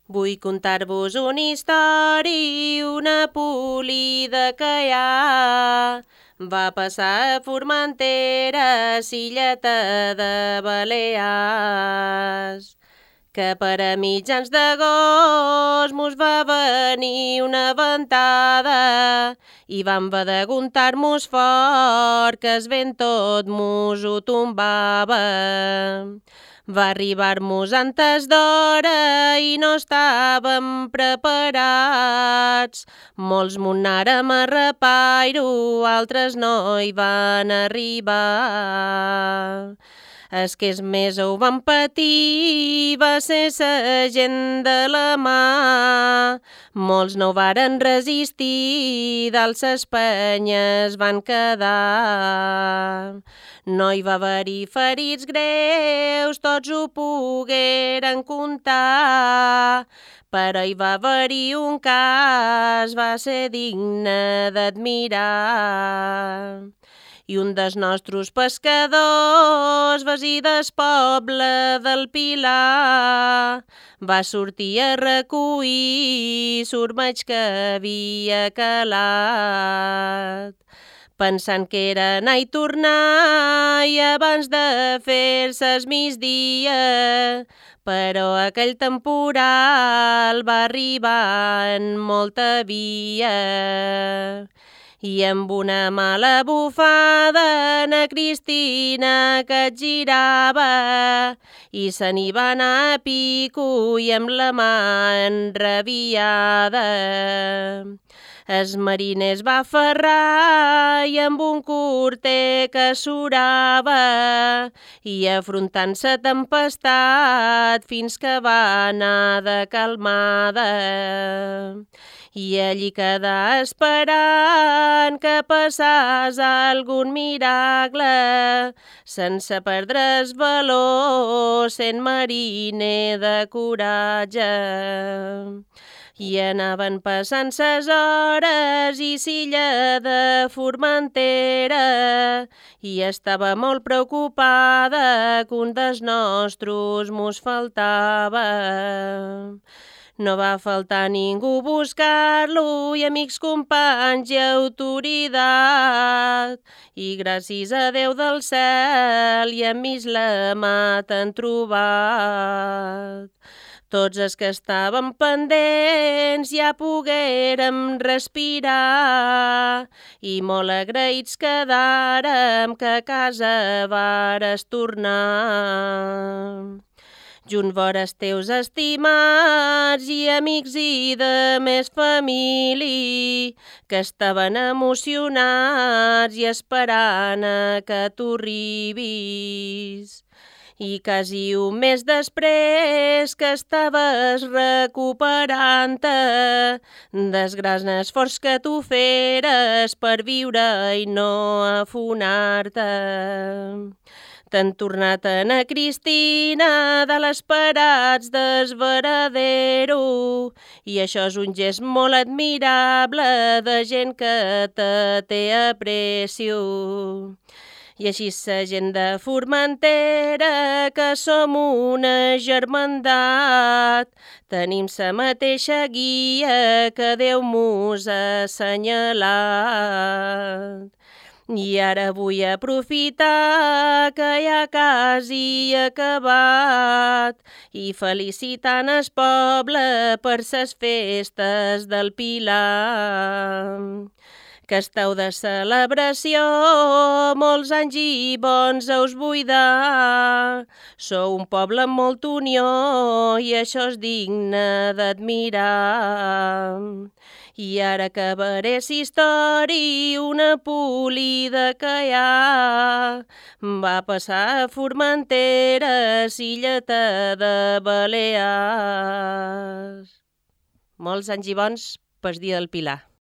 Vull contar-vos una història, una polida que hi ha. Va passar a Formentera, s'illeta de Balears, que per a mitjans d'agost mos va venir una ventada i vam haver d'aguntar-mos fort, que el vent tot mos ho tombava. Va arribar-mos antes d'hora i no estàvem preparats. Molts m'ho anàrem a repairo, altres no hi van arribar. Els que més ho van patir va ser la gent de la mà. Molts no ho varen resistir, dalt ses penyes van quedar. No hi va haver-hi ferits greus, tots ho pogueren contar, però hi va haver-hi un cas, va ser digne d'admirar. I un dels nostres pescadors, veí del poble del Pilar, va sortir a recollir l'ormeig que havia calat, pensant que era anar i tornar i abans de fer-se el migdia, però aquell temporal va arribar en molta via. I amb una mala bufada na Cristina que et girava i se n'hi va anar a pico i amb la mà enrabiada. El mariner es va aferrar i amb un corter que surava i afrontant la tempestat fins que va anar de calmada. I allí quedà esperant que passàs algun miracle, sense perdre el valor, sent mariner de coratge. I anaven passant ses hores i l'illa de Formentera i estava molt preocupada que un dels nostres mos faltava. No va faltar ningú buscar-lo i amics, companys i autoritat. I gràcies a Déu del cel i amics la mà t'han trobat. Tots els que estàvem pendents ja poguérem respirar i molt agraïts quedàrem que a casa vares tornar. Junt vores teus estimats i amics i de més família que estaven emocionats i esperant que tu arribis. I quasi un mes després que estaves recuperant-te des grans esforç que tu feres per viure i no afonar-te. T'han tornat a na Cristina de l'esperats d'esveradero i això és un gest molt admirable de gent que te té aprecio. I així la gent de Formentera, que som una germandat, tenim la mateixa guia que Déu mos ha assenyalat. I ara vull aprofitar que ja quasi acabat i felicitant el poble per ses festes del Pilar. Que esteu de celebració, molts anys i bons us vull dar. Sou un poble amb molta unió i això és digne d'admirar. I ara acabaré la història, una polida que hi ha. Va passar a Formentera, l'illeta de Balears. Molts anys i bons pel dia del Pilar.